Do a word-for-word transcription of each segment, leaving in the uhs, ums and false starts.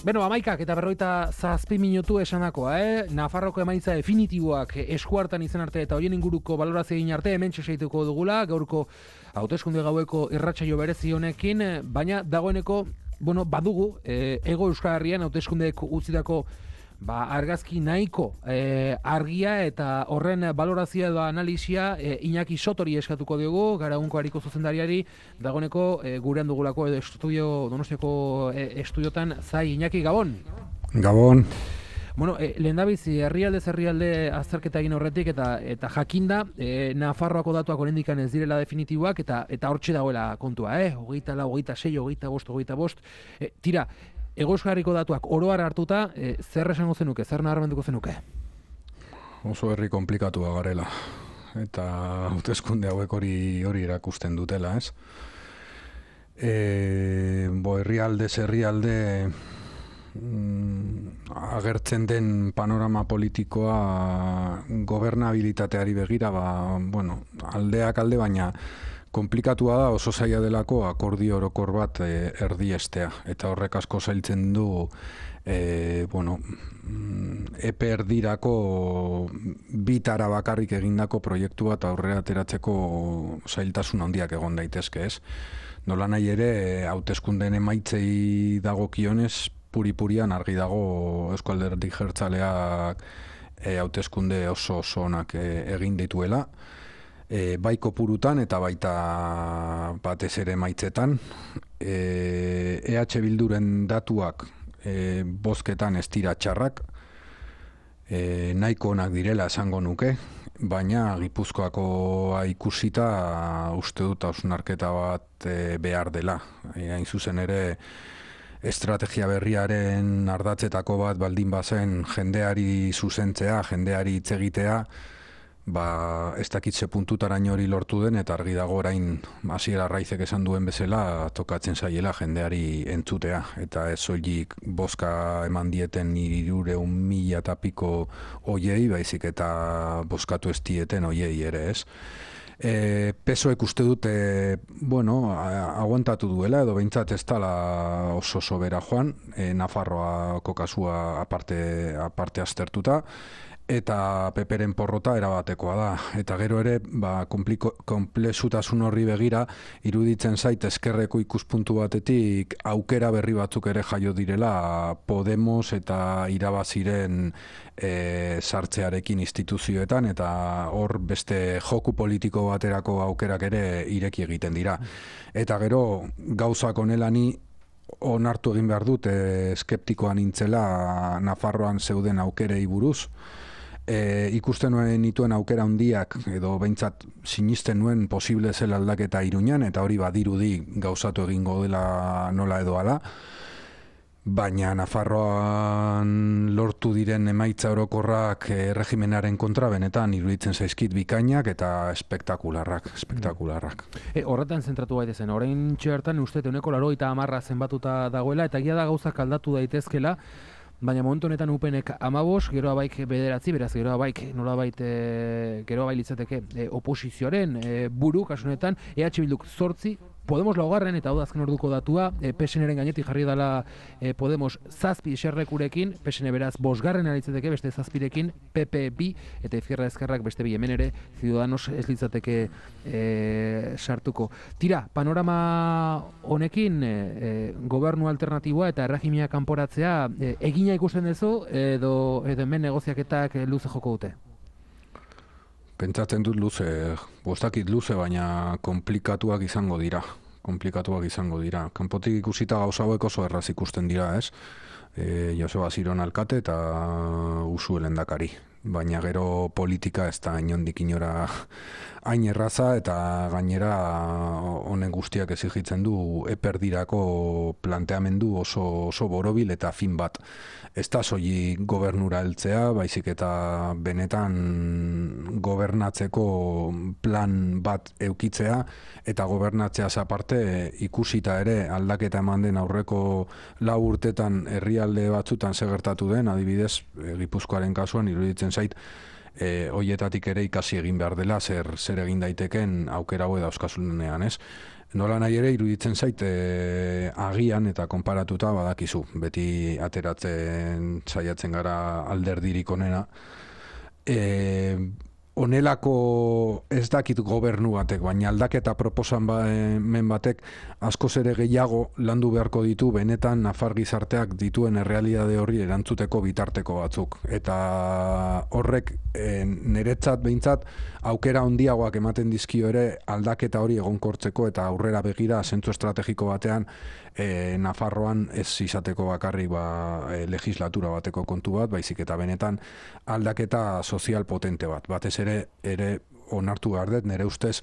Beno, amaikak eta berroita zazpi minutu esanakoa, eh? Nafarroko emaitza definitiboak eskuartan izan arte eta horien inguruko balorazio egin arte hemen txeseituko dugula, gaurko hauteskunde gaueko irratsaio berezi honekin, baina dagoeneko, bueno, badugu, eh, Hego Euskal Herrian hauteskundeek utzitako ba, argazki nahiko e, argia eta horren balorazioa edo analisia e, Iñaki Sotori eskatuko diogu, gara unko hariko zuzendariari, dagoeneko e, gurean dugulako edo estudio, Donostiako e, estudiotan, zai Iñaki, Gabon? Gabon. Bueno, e, lehendabizi, herrialde herrialde azterketa egin horretik eta eta jakinda, e, Nafarroako datuak oraindik ez direla definitiboak eta eta hortxe dagoela kontua, eh? hogeita lau, hogeita sei, hogeita bost, hogeita bost, e, tira, Hego Euskal Herriko datuak oro har hartuta, e, zer esango zenuke, zer nabarmenduko zenuke? Oso herri komplikatua garela, eta hauteskunde hauek hori hori erakusten dutela, ez? E, bo, herrialdez herrialde mm, agertzen den panorama politikoa gobernabilitateari begira, ba, bueno, aldeak alde, baina konplikatua da, oso zaila delako akordio orokor bat e, erdiestea, eta horrek asko zailtzen du e, bueno, epe erdirako bitara bakarrik egindako proiektu bat aurrera ateratzeko zailtasun handiak egon daitezke, ez? Nola nahi ere, hauteskundeen emaitzei dagokionez, puri-purian argi dago Eusko Alderdi Jeltzaleak e, hauteskunde oso oso onak e, egin dituela, E, bai kopurutan eta baita batez ere maitzetan. E, EH Bilduren datuak e, bozketan ez dira txarrak, e, nahiko onak direla esango nuke, baina Gipuzkoakoa ikusita uste dut hausnarketa bat e, behar dela. E, hain zuzen ere, estrategia berriaren ardatzetako bat baldin bazen jendeari zuzentzea, jendeari hitz egitea, ba, ez dakitze puntutaraino hori lortu den, eta argi dago orain Hasier Arraizek esan duen bezala tokatzen zaiela jendeari entzutea, eta ez soilik bozka eman dieten hirurehun mila eta piko hoiei, baizik eta bozkatu ez dieten hoiei ere, ez? E, Pesoek uste dute, bueno, aguantatu duela, edo behintzat ez dela oso sobera joan, e, Nafarroako kasua aparte, aparte aztertuta, eta Peperen porrota erabatekoa da. Eta gero ere, ba, konplexutasun horri begira, iruditzen zait ezkerreko ikuspuntu batetik aukera berri batzuk ere jaio direla Podemos eta irabaziren e, sartzearekin instituzioetan, eta hor beste joku politiko baterako aukerak ere ireki egiten dira. Eta gero, gauzak honela ni onartu egin behar dut, e, skeptikoan nintzela Nafarroan zeuden aukerei buruz. E, ikusten nuen nituen aukera handiak, edo behintzat sinisten nuen posible zela aldaketa Iruñan, eta hori badirudi gauzatu egingo dela nola edo ala, baina Nafarroan lortu diren emaitza orokorrak e, regimenaren kontra benetan iruditzen zaizkit bikainak eta espektakularrak, espektakularrak. E, horretan zentratu gaitezen, orain txertan uste euneko laurogeita hamarra zenbatuta dagoela, eta egia da gauzak aldatu daitezkela, baina momentu honetan upenek amabos, geroa baik bederatzi, beraz geroa baik nolabait e, geroa bai litzateke e, oposizioaren e, buru, kasunetan, E H Bilduk zortzi, Podemos laugarren, eta hau da azken orduko datua, e, P S N-ren gainetik jarri dela e, Podemos zazpi eserlekurekin, P S N beraz bosgarren aritzateke beste zazpirekin, P P bi, eta Izquierda Ezkerrak beste bi, hemen ere, Ciudadanos ez litzateke e, sartuko. Tira, panorama honekin, e, e, gobernu alternatiboa eta erregimia kanporatzea e, egina ikusten duzu, edo, edo hemen negoziaketak luze joko dute? Pentsatzen dut luze, bostakit luze, baina komplikatuak izango dira. Komplikatuak izango dira. Kanpotik ikusita gauza hauek oso erraz ikusten dira, ez? E, Joseba Ziron alkate eta Uxue lehendakari. Baina gero politika ez da inondik inora hain erraza, eta gainera honen guztiak exigitzen du eperdirako planteamendu oso, oso borobil eta fin bat. Ez da soilik gobernura heltzea, baizik eta benetan gobernatzeko plan bat eukitzea, eta gobernatzeaz aparte ikusita ere aldaketa eman den aurreko lau urtetan herrialde batzutan segertatu den, adibidez Gipuzkoaren kasuan iruditzen zait, e, hoietatik ere ikasi egin behar dela zer, zer egin daiteken aukera hau dauzkasunean, ez? Nola nahi ere iruditzen zait e, agian eta konparatuta badakizu, beti ateratzen saiatzen gara alderdirik onena. E, Honelako ez dakit gobernu batek, baina aldaketa proposan ba, men batek askoz ere gehiago landu beharko ditu benetan nafar gizarteak dituen errealitate horri erantzuteko bitarteko batzuk. Eta horrek e, niretzat behintzat aukera handiagoak ematen dizkio ere aldaketa hori egonkortzeko eta aurrera begira zentzu estrategiko batean e, Nafarroan ez izateko bakarrik ba, e, legislatura bateko kontu bat, baizik eta benetan aldaketa sozial potente bat. Batez ere ere onartu behar dut, nire ustez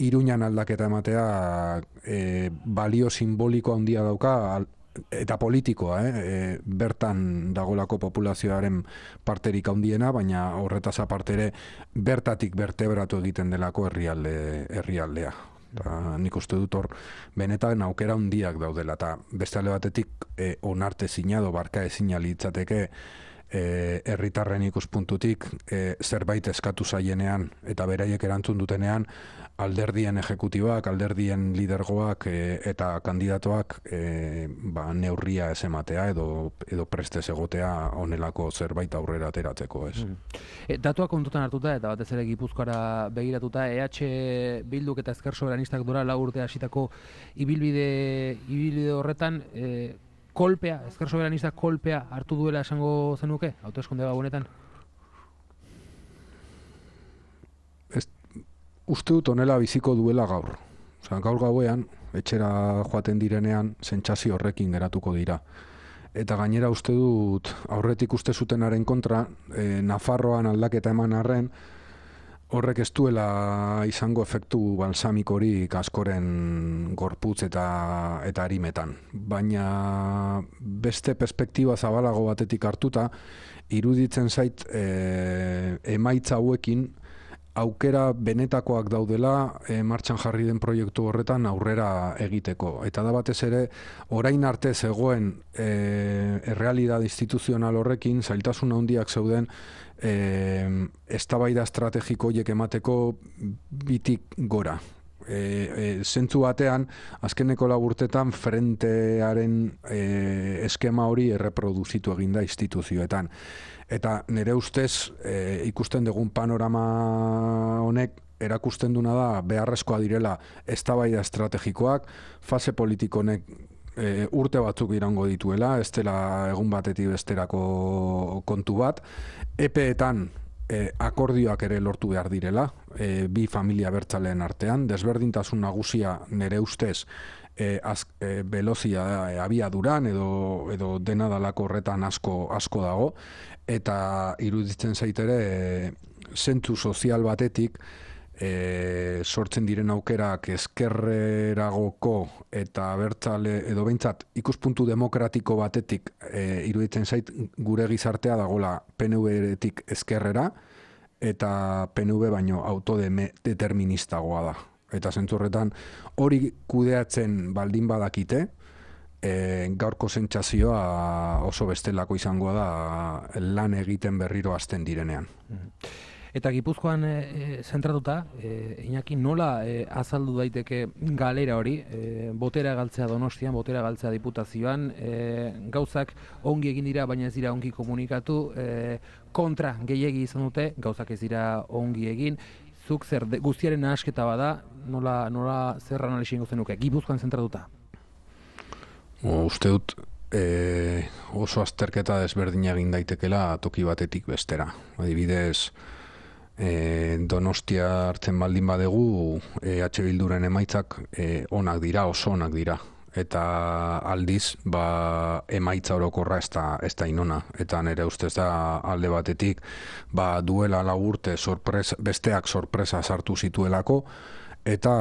Iruñan aldaketa ematea e, balio simboliko handia dauka al, eta politikoa, eh? E, bertan dagolako populazioaren parterik handiena, baina horretaz aparte ere bertatik bertebratu egiten delako herrialde, herrialdea. Ta, nik uste dut hor benetan aukera handiak daudela, eta beste alde batetik e, onarte zinado, barka ezina litzateke herritarren ikuspuntutik e, zerbait eskatu zaienean eta beraiek erantzun dutenean alderdien ejekutibak, alderdien lidergoak e, eta kandidatoak e, ba, neurria ez ematea edo, edo prestez egotea honelako zerbait aurrera ateratzeko, ez. Mm. E, datuak kontutan hartuta eta batez ere Gipuzkoara begiratuta, E H Bilduk eta Ezker Soberanistak dora lau urte hasitako ibilbide, ibilbide horretan e, kolpea, Ezker Soberanistak kolpea hartu duela esango zenuke, hauteskunde gabonetan? Ez, uste dut honela biziko duela gaur. Osa, gaur gauean, etxera joaten direnean, sentsazio horrekin geratuko dira. Eta gainera uste dut, aurretik uste zutenaren kontra, e, Nafarroan aldaketa eman arren, horrek ez duela izango efektu balsamikorik askoren gorputz eta eta arimetan. Baina beste perspektiba zabalago batetik hartuta, iruditzen zait e, emaitza hauekin aukera benetakoak daudela e, martxan jarri den proiektu horretan aurrera egiteko. Eta da batez ere, orain arte zegoen e, errealidade instituzional horrekin, zailtasun handiak zeuden, E, eztabaida estrategiko horiek emateko bitik gora. E, e, zentzu batean, azkeneko laburtetan frentearen e, eskema hori erreproduzitu eginda instituzioetan. Eta nire ustez e, ikusten dugun panorama honek erakusten duna da beharrezkoa direla eztabaida estrategikoak, fase politikonek E, urte batzuk irango dituela, ez dela egun batetik besterako kontu bat, epeetan e, akordioak ere lortu behar direla, e, bi familia bertzaleen artean, desberdintasun nagusia nire ustez e, az, e, belozia e, abiaduran edo, edo dena dalako horretan asko, asko dago, eta iruditzen zaitere e, zentzu sozial batetik E, sortzen diren aukerak ezkerreragoko eta bertzale edo behintzat ikuspuntu demokratiko batetik e, iruditzen zait gure gizartea dagola P N V-etik ezkerrera eta P N V baino autodeterministagoa da. Eta zentzu horretan hori kudeatzen baldin badakite, e, gaurko sentsazioa oso bestelako izangoa da lan egiten berriro hasten direnean. Eta Gipuzkoan e, zentratuta, e, Iñaki, nola e, azaldu daiteke galera hori, e, botera galtzea Donostian, botera galtzea Diputazioan, e, gauzak ongi egin dira, baina ez dira ongi komunikatu, e, kontra gehiegi izan dute, gauzak ez dira ongi egin, zuk zer de, guztiaren nahasketa bada, nola, nola zer analisi ingo zenuke, Gipuzkoan zentratuta? O, uste dut, e, oso azterketa desberdina egin daitekela toki batetik bestera. Adibidez, E, Donostia hartzen baldin badegu E H Bilduren emaitzak e, onak dira, oso onak dira. Eta aldiz, ba, emaitza orokorra ez da, ez da inona. Eta nire ustez da alde batetik, ba, duela lau urte sorpresa, besteak sorpresa sartu zituelako, eta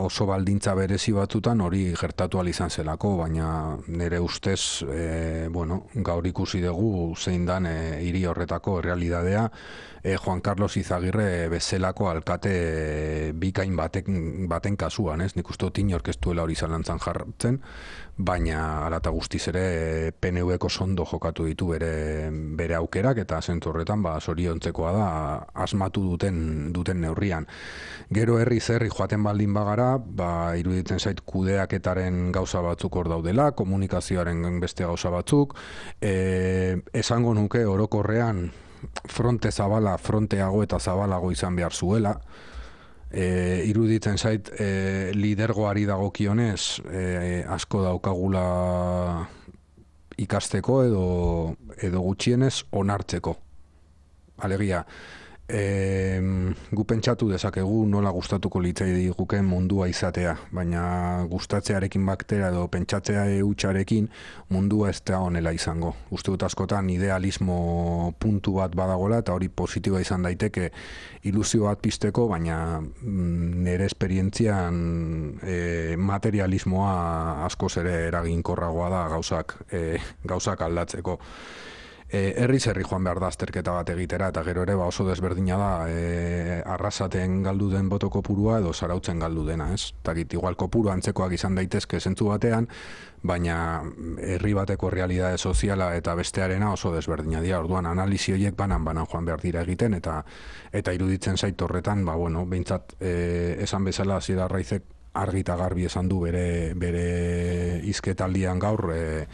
oso baldintza berezi batzutan hori gertatu ahal izan zelako, baina nire ustez, e, bueno, gaur ikusi dugu zein dan e, hiri horretako errealidadea, e, Juan Carlos Izagirre bezalako alkate bikain baten, baten kasuan, ez? Nik uste dut inork ez duela hori zalantzan jartzen, baina hala eta guztiz ere P N V-ko sondo jokatu ditu bere, bere aukerak, eta zentzu horretan ba, zoriontzekoa da asmatu duten, duten neurrian. Gero herri zerri Juan joaten baldin bagara, ba, iruditzen zait kudeaketaren gauza batzuk hor daudela, komunikazioaren beste gauza batzuk, e, esango nuke orokorrean fronte zabala, fronteago eta zabalago izan behar zuela, E, iruditzen zait e, lidergoari dagokionez e, asko daukagula ikasteko edo, edo gutxienez onartzeko. Alegia, e, gu pentsatu dezakegu nola gustatuko litzai guken mundua izatea, baina gustatzearekin baktera edo pentsatzea hutsarekin mundua ez da honela izango. Uste dut askotan idealismo puntu bat badagola eta hori positiboa izan daiteke ilusio bat pizteko, baina nire esperientzian e, materialismoa askoz ere eraginkorragoa da gauzak, e, gauzak aldatzeko. E, herriz herri joan behar da azterketa bat egitera, eta gero ere ba oso desberdina da e, arrasaten galdu den boto kopurua edo zarautzen galdu dena, ez? Takit, igual kopuru antzekoak izan daitezke zentzu batean, baina herri bateko realidade soziala eta bestearena oso desberdina dira. Orduan analisi horiek banan-banan joan behar dira egiten, eta eta iruditzen zait horretan, ba bueno, behintzat e, esan bezala Asier Arraizek argi eta garbi esan du bere bere hizketaldian gaur e,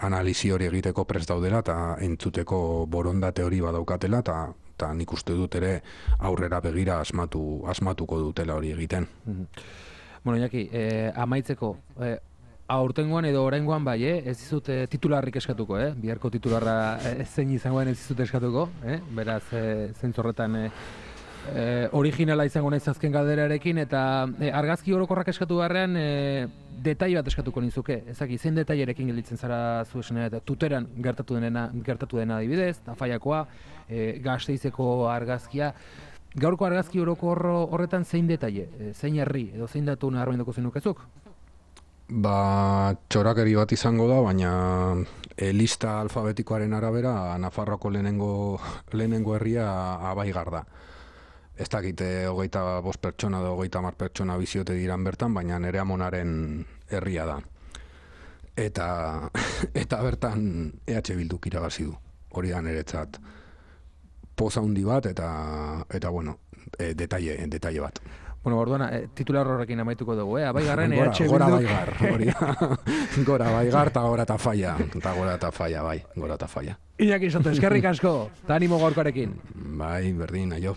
analisi hori egiteko prest daudela eta entzuteko borondate hori badaukatela, eta eta nik uste dut ere aurrera begira asmatu asmatuko dutela hori egiten. Mm-hmm. Bueno, Iñaki, eh, amaitzeko, eh, aurtengoan edo oraingoan bai, eh? Ez dizut eh, titularrik eskatuko, eh? Biharko titularra eh, zein izangoen ez dizut eskatuko, eh? Beraz, eh, zentzorretan eh, eh, originala izango naiz azken galderarekin, eta eh, argazki orokorrak eskatu beharrean eh, detail bat eskatuko nizuke. Ezaki, zein detailerekin gelditzen zara zu esena, eta Tuteran gertatu dena, gertatu dena adibidez, Tafaiakoa, eh, Gasteizeko argazkia. Gaurko argazki orokor horretan zein detaile, eh, zein herri, edo zein datu nabarmenduko zenukezuk? Ba, txorakeri bat izango da, baina e, lista alfabetikoaren arabera Nafarroako lehenengo, lehenengo herria Abaigar da. Ez dakite hogeita bost pertsona edo hogeita hamar pertsona biziote diran bertan, baina nere amonaren herria da. Eta, eta bertan E H Bilduk irabazi du. Hori da niretzat poza handi bat eta, eta bueno, e, detaile, detaile bat. Bueno, orduan, eh, titular horrekin amaituko dugu, eh? Abaigarren E H Bilduk... Gora Abaigar, hori da. Gora Abaigar eta gora Tafaia. Eta gora Tafaia, bai, gora Tafaia. Iñaki Soto, eskerrik asko, eta animo gaurkoarekin. Bai, berdin, aio.